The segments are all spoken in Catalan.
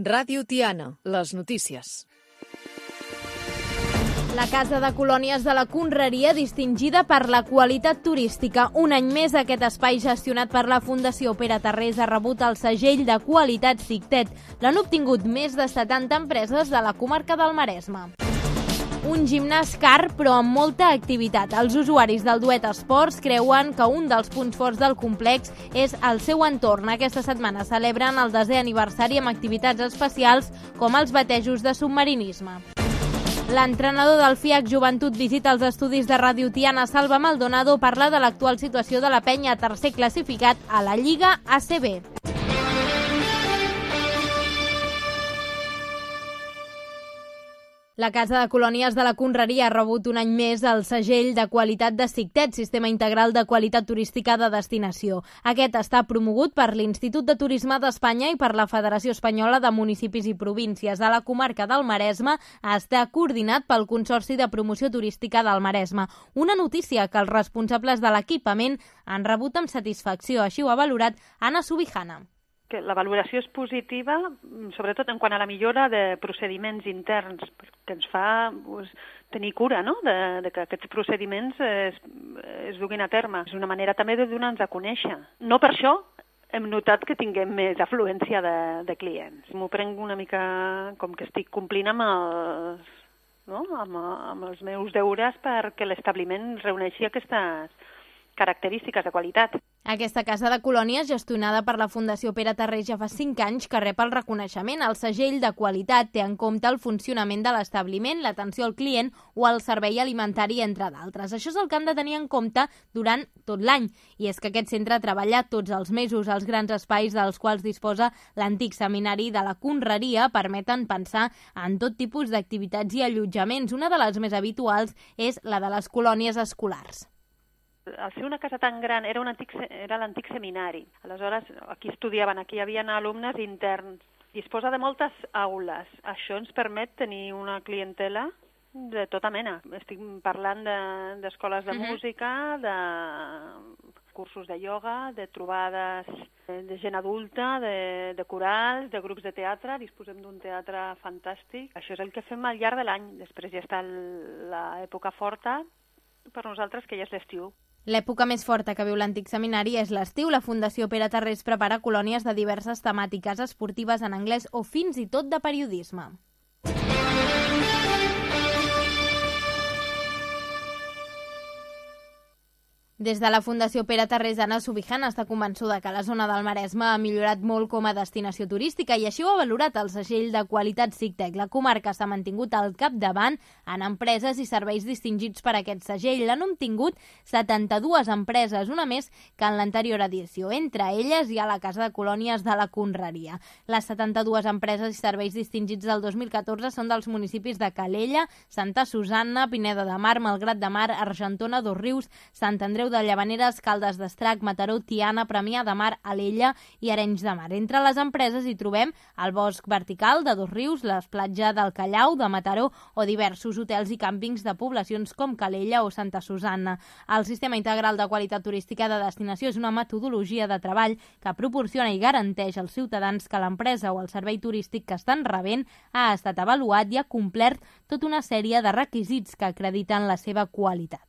Ràdio Tiana, les notícies. La Casa de Colònies de la Conreria, distingida per la qualitat turística. Un any més, aquest espai gestionat per la Fundació Pere Tarrés ha rebut el segell de qualitat SICTET. L'han obtingut més de 70 empreses de la comarca del Maresme. Un gimnàs car, però amb molta activitat. Els usuaris del Duet Esports creuen que un dels punts forts del complex és el seu entorn. Aquesta setmana celebren el 10è aniversari amb activitats especials com els batejos de submarinisme. L'entrenador del FIAC Joventut visita els estudis de Ràdio Tiana. Salva Maldonado parla de l'actual situació de la penya, tercer classificat a la Lliga ACB. La Casa de Colònies de la Conreria ha rebut un any més el segell de qualitat de SICTET, Sistema Integral de Qualitat Turística de Destinació. Aquest està promogut per l'Institut de Turisme d'Espanya i per la Federació Espanyola de Municipis i Províncies. A la comarca del Maresme està coordinat pel Consorci de Promoció Turística del Maresme. Una notícia que els responsables de l'equipament han rebut amb satisfacció. Així ho ha valorat Anna Subijana. Que la valoració és positiva, sobretot en quant a la millora de procediments interns, que ens fa tenir cura, no?, de que aquests procediments es duguin a terme. És una manera també de donar-nos a conèixer. No per això hem notat que tinguem més afluència de clients. M'ho prenc una mica com que estic complint amb els meus deures perquè l'establiment reuneixi aquestes característiques de qualitat. Aquesta Casa de Colònies, gestionada per la Fundació Pere Tarrés, ja fa 5 anys que rep el reconeixement. El segell de qualitat té en compte el funcionament de l'establiment, l'atenció al client o el servei alimentari, entre d'altres. Això és el que han de tenir en compte durant tot l'any. I és que aquest centre treballa tots els mesos. Els grans espais dels quals disposa l'antic seminari de la Conreria permeten pensar en tot tipus d'activitats i allotjaments. Una de les més habituals és la de les colònies escolars. Al ser una casa tan gran, era l'antic seminari. Aleshores, aquí estudiaven, aquí hi havia alumnes interns. Disposa de moltes aules. Això ens permet tenir una clientela de tota mena. Estic parlant d'escoles de música, de cursos de ioga, de trobades de gent adulta, de corals, de grups de teatre. Disposem d'un teatre fantàstic. Això és el que fem al llarg de l'any. Després ja està l'època forta per nosaltres, que ja és l'estiu. L'època més forta que viu l'antic seminari és l'estiu. La Fundació Pere Tarrés prepara colònies de diverses temàtiques esportives en anglès o fins i tot de periodisme. Des de la Fundació Pere Tarrés, Anna Subijana està convençuda que la zona del Maresme ha millorat molt com a destinació turística i així ho ha valorat el segell de qualitat SICTET. La comarca s'ha mantingut al capdavant en empreses i serveis distingits per aquest segell. L'han obtingut 72 empreses, una més que en l'anterior edició. Entre elles hi ha la Casa de Colònies de la Conreria. Les 72 empreses i serveis distingits del 2014 són dels municipis de Calella, Santa Susanna, Pineda de Mar, Malgrat de Mar, Argentona, Dosrius, Sant Andreu de Llavaneres, Caldes d'Estrac, Mataró, Tiana, Premià de Mar, Alella i Arenys de Mar. Entre les empreses hi trobem el Bosc Vertical de Dosrius, la platja del Callau de Mataró o diversos hotels i càmpings de poblacions com Calella o Santa Susanna. El Sistema Integral de Qualitat Turística de Destinació és una metodologia de treball que proporciona i garanteix als ciutadans que l'empresa o el servei turístic que estan rebent ha estat avaluat i ha complert tota una sèrie de requisits que acrediten la seva qualitat.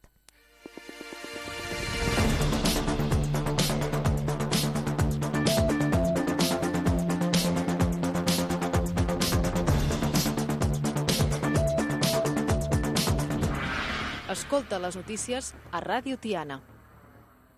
Escolta les notícies a Ràdio Tiana.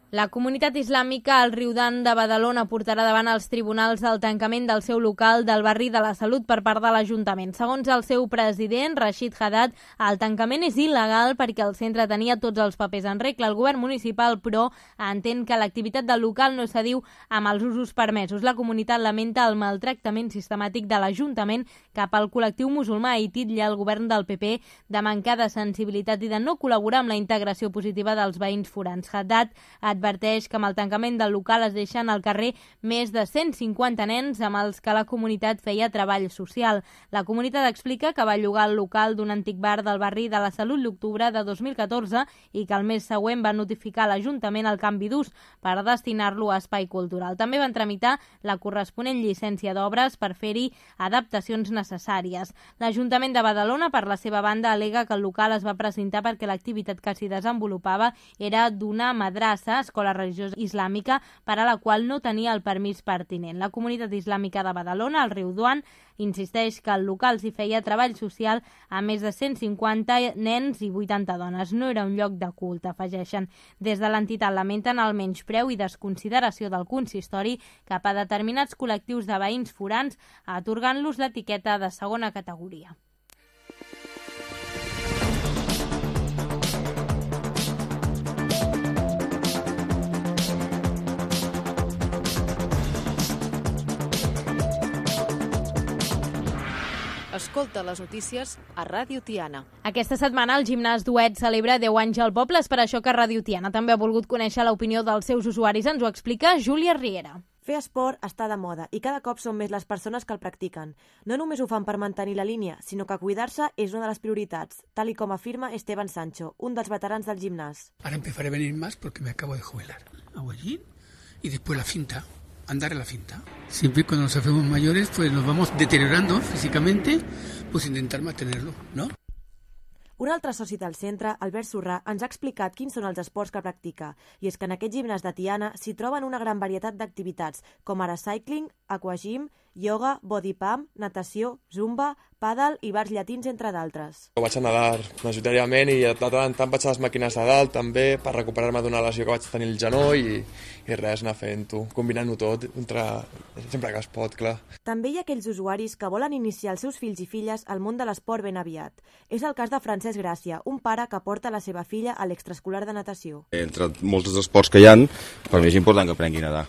La comunitat islàmica al Riudan de Badalona portarà davant els tribunals el tancament del seu local del barri de la Salut per part de l'Ajuntament. Segons el seu president, Rashid Haddad, el tancament és il·legal perquè el centre tenia tots els papers en regla. El govern municipal, però, entén que l'activitat del local no s'adiu amb els usos permesos. La comunitat lamenta el maltractament sistemàtic de l'Ajuntament cap al col·lectiu musulmà i titlla el govern del PP de mancar de sensibilitat i de no col·laborar amb la integració positiva dels veïns forans. Haddad ha adverteix que amb el tancament del local es deixen al carrer més de 150 nens amb els que la comunitat feia treball social. La comunitat explica que va llogar el local d'un antic bar del barri de la Salut l'octubre de 2014 i que el mes següent va notificar a l'Ajuntament el canvi d'ús per destinar-lo a espai cultural. També van tramitar la corresponent llicència d'obres per fer-hi adaptacions necessàries. L'Ajuntament de Badalona, per la seva banda, al·lega que el local es va precintar perquè l'activitat que s'hi desenvolupava era d'una madrassa, escola religiosa islàmica, per a la qual no tenia el permís pertinent. La comunitat islàmica de Badalona, al riu Duan, insisteix que el local s'hi feia treball social a més de 150 nens i 80 dones. No era un lloc de culte, afegeixen. Des de l'entitat lamenten el menyspreu i desconsideració del consistori cap a determinats col·lectius de veïns forans, atorgant-los l'etiqueta de segona categoria. Escolta les notícies a Ràdio Tiana. Aquesta setmana el gimnàs Duet celebra 10 anys al poble, és per això que Ràdio Tiana també ha volgut conèixer l'opinió dels seus usuaris. Ens ho explica Júlia Riera. Fer esport està de moda i cada cop són més les persones que el practiquen. No només ho fan per mantenir la línia, sinó que cuidar-se és una de les prioritats, tal com afirma Esteban Sancho, un dels veterans del gimnàs. Ahora empezaré a venir más porque me acabo de jubilar. Hago allí y después la cinta. Andar en la cinta. Siempre cuando nos hacemos mayores, pues nos vamos deteriorando físicamente, pues intentar mantenerlo, ¿no? Un altre soci del centre, Albert Surrà, ens ha explicat quins són els esports que practica. I és que en aquest gimnàs de Tiana s'hi troben una gran varietat d'activitats, com ara cycling, aquagym, yoga, body pump, natació, zumba, pàdel i bars llatins, entre d'altres. Vaig a nedar majoritàriament i de tant en tant vaig a les màquines de dalt també per recuperar-me d'una lesió que vaig tenir al genoll i res, anar fent-ho, combinant-ho tot, sempre que es pot, clar. També hi ha aquells usuaris que volen iniciar els seus fills i filles al món de l'esport ben aviat. És el cas de Francesc Gràcia, un pare que porta la seva filla a l'extraescolar de natació. Entre molts dels esports que hi ha, per mi és important que aprengui a nedar.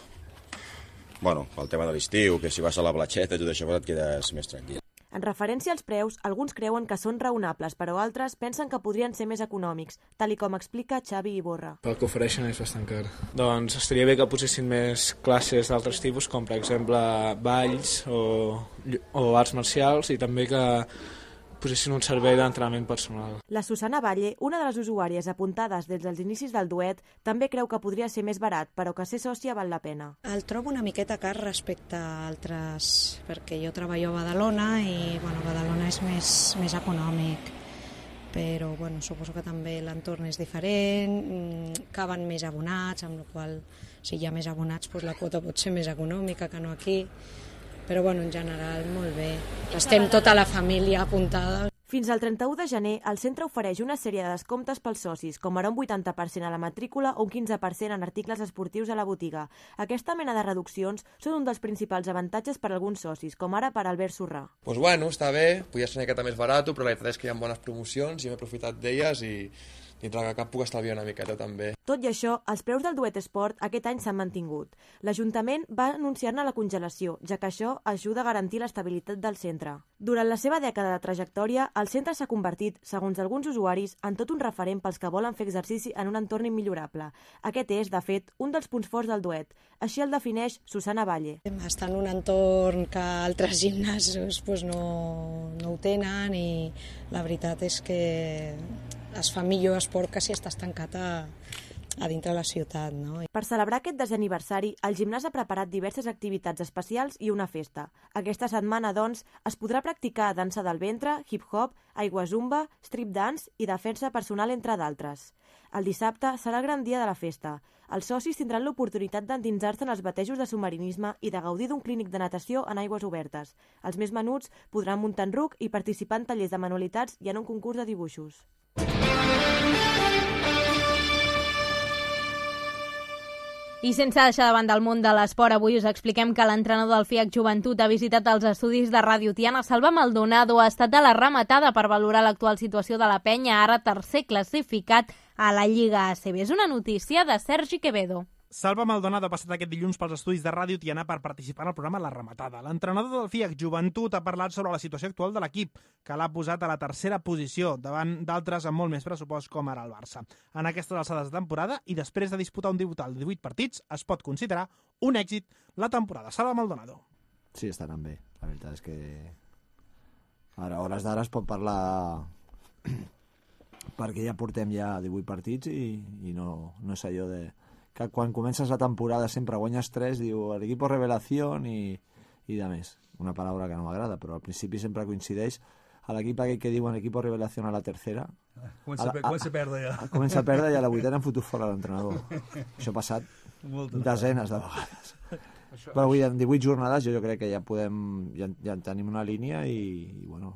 Bueno, el tema de l'estiu, que si vas a la platxeta i tot això et quedes més tranquil. En referència als preus, alguns creuen que són raonables, però altres pensen que podrien ser més econòmics, tal com explica Xavi Iborra. El que ofereixen és bastant car. Doncs estaria bé que posessin més classes d'altres tipus, com per exemple balls o arts marcials, i també que posessin un servei d'entrenament personal. La Susana Valle, una de les usuàries apuntades des dels inicis del Duet, també creu que podria ser més barat, però que ser sòcia val la pena. El trobo una miqueta car respecte a altres, perquè jo treballo a Badalona i Badalona és més econòmic, però suposo que també l'entorn és diferent, caben més abonats, amb la qual si hi ha més abonats la quota pot ser més econòmica que no aquí. Però en general molt bé. Estem tota la família apuntada. Fins al 31 de gener, el centre ofereix una sèrie de descomptes pels socis, com ara un 80% a la matrícula o un 15% en articles esportius a la botiga. Aquesta mena de reduccions són un dels principals avantatges per a alguns socis, com ara per Albert Surrà. Està bé, podia ser una miqueta més barat, però la veritat és que hi ha bones promocions i hem aprofitat d'elles i dintre que cap puc estalviar una miqueta també. Tot i això, els preus del Duet Esport aquest any s'han mantingut. L'Ajuntament va anunciar-ne la congelació, ja que això ajuda a garantir l'estabilitat del centre. Durant la seva dècada de trajectòria, el centre s'ha convertit, segons alguns usuaris, en tot un referent pels que volen fer exercici en un entorn immillorable. Aquest és, de fet, un dels punts forts del Duet. Així el defineix Susana Valle. Està en un entorn que altres gimnasos no ho tenen i la veritat és que es fa millor esport que si estàs tancat a dintre la ciutat, no? Per celebrar aquest 10è aniversari, el gimnàs ha preparat diverses activitats especials i una festa. Aquesta setmana, doncs, es podrà practicar dansa del ventre, hip-hop, aigua zumba, strip dance i defensa personal, entre d'altres. El dissabte serà el gran dia de la festa. Els socis tindran l'oportunitat d'endinsar-se en els batejos de submarinisme i de gaudir d'un clínic de natació en aigües obertes. Els més menuts podran muntar en ruc i participar en tallers de manualitats i en un concurs de dibuixos. I sense deixar de banda el món de l'esport, avui us expliquem que l'entrenador del FIAC Joventut ha visitat els estudis de Ràdio Tiana. Salva Maldonado ha estat a la rematada per valorar l'actual situació de la penya, ara tercer classificat a la Lliga ACB. És una notícia de Sergi Quevedo. Salva Maldonado ha passat aquest dilluns pels estudis de Ràdio Tiana per participar en el programa La Rematada. L'entrenador del FIAC Joventut ha parlat sobre la situació actual de l'equip, que l'ha posat a la tercera posició, davant d'altres amb molt més pressupost com ara el Barça. En aquestes alçades de temporada, i després de disputar un total de 18 partits, es pot considerar un èxit la temporada. Salva Maldonado. Sí, estan bé. La veritat és que ara, a hores d'ara es pot parlar perquè ja portem ja 18 partits i no és allò de que quan comences la temporada sempre guanyes 3, diu l'equip revelació i de més. Una paraula que no m'agrada, però al principi sempre coincideix a l'equip aquell que diuen equip revelació a la tercera. Comença a perdre ja. Comença a perdre i a la vuitena han fotut fora l'entrenador. Això ha passat desenes de vegades. Però avui en 18 jornades jo crec que ja tenim una línia i bueno,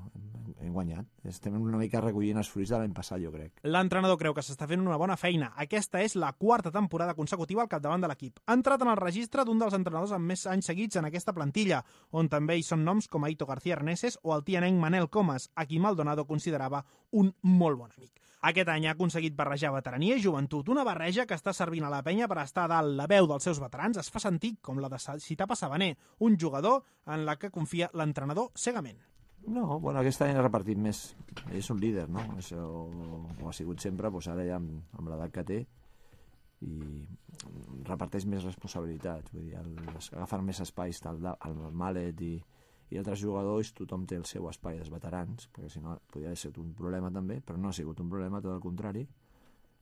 hem guanyat. Estem una mica recollint els fruits de l'any passat, jo crec. L'entrenador creu que s'està fent una bona feina. Aquesta és la quarta temporada consecutiva al capdavant de l'equip. Ha entrat en el registre d'un dels entrenadors amb més anys seguits en aquesta plantilla, on també hi són noms com Aito García Arneses o el tianenc Manel Comas, a qui Maldonado considerava un molt bon amic. Aquest any ha aconseguit barrejar veterania i joventut, una barreja que està servint a la penya per estar a dalt. La veu dels seus veterans es fa sentir com la de Citapa Sabaner, un jugador en la que confia l'entrenador cegament. No, bueno, aquest any ha repartit més. Ell és un líder, no? Això ho ha sigut sempre, doncs ara ja amb l'edat que té i reparteix més responsabilitats, vull dir, agafen més espais, el Malet i altres jugadors, tothom té el seu espai dels veterans, perquè si no podria haver sigut un problema també, però no ha sigut un problema, tot el contrari.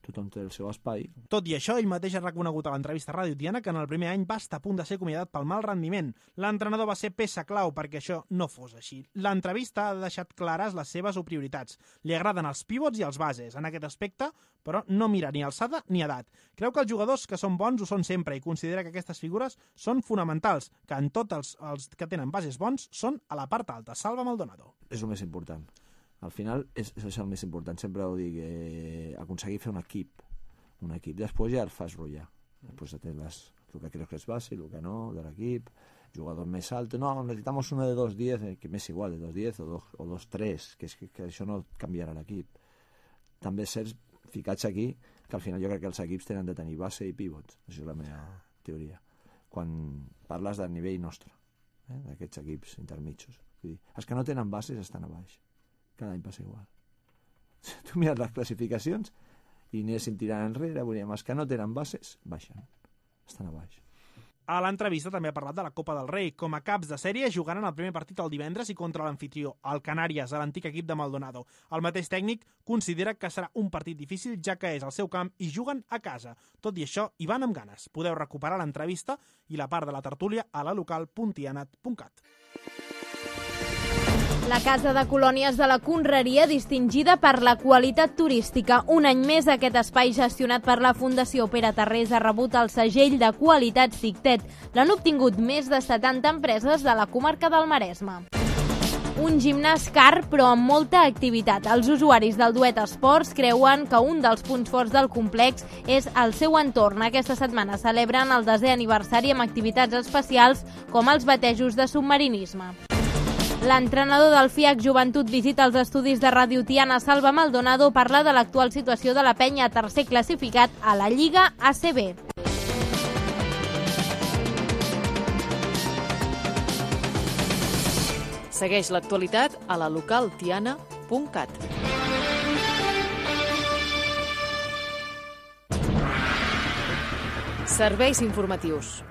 Tothom té el seu espai. Tot i això, ell mateix ha reconegut a l'entrevista a Ràdio Tiana que en el primer any va estar a punt de ser acomiadat pel mal rendiment. L'entrenador va ser peça clau perquè això no fos així. L'entrevista ha deixat clares les seves prioritats. Li agraden els pivots i els bases. En aquest aspecte, però, no mira ni alçada ni edat. Creu que els jugadors que són bons ho són sempre i considera que aquestes figures són fonamentals, que en tots els que tenen bases bons són a la part alta. Salva Maldonado. És el més important. Al final és el més important, sempre ho dic, aconseguir fer un equip. Després ja el fas rotllar. Després tens el que creus que és base, el que no, de l'equip, jugador més alto. No, necesitamos uno de 2-10, que m'és igual, de 2-10 o 2-3, que això no canviarà l'equip. També és cert, ficats aquí, que al final jo crec que els equips tenen de tenir base i pivots. Això és la meva teoria. Quan parles del nivell nostre, d'aquests equips intermitjos. Els que no tenen bases estan a baix. Cada any passa igual. Tu mires les classificacions i anéssim tirant enrere, volíem, els que no tenen bases baixen, estan a baix. A l'entrevista també ha parlat de la Copa del Rei. Com a caps de sèrie jugaran el primer partit el divendres i contra l'anfitrió, el Canàries, a l'antic equip de Maldonado. El mateix tècnic considera que serà un partit difícil, ja que és el seu camp i juguen a casa. Tot i això, hi van amb ganes. Podeu recuperar l'entrevista i la part de la tertúlia a la local.tianat.cat. La Casa de Colònies de la Conreria, distingida per la qualitat turística. Un any més, aquest espai gestionat per la Fundació Pere Tarrés ha rebut el segell de qualitat SICTET. L'han obtingut més de 70 empreses de la comarca del Maresme. Un gimnàs car, però amb molta activitat. Els usuaris del Duet Esports creuen que un dels punts forts del complex és el seu entorn. Aquesta setmana celebren el 10è aniversari amb activitats especials com els batejos de submarinisme. L'entrenador del FIAC Joventut visita els estudis de Ràdio Tiana. Salva Maldonado parla de l'actual situació de la penya, tercer classificat a la Lliga ACB. Segueix l'actualitat a la local.tiana.cat. Serveis informatius.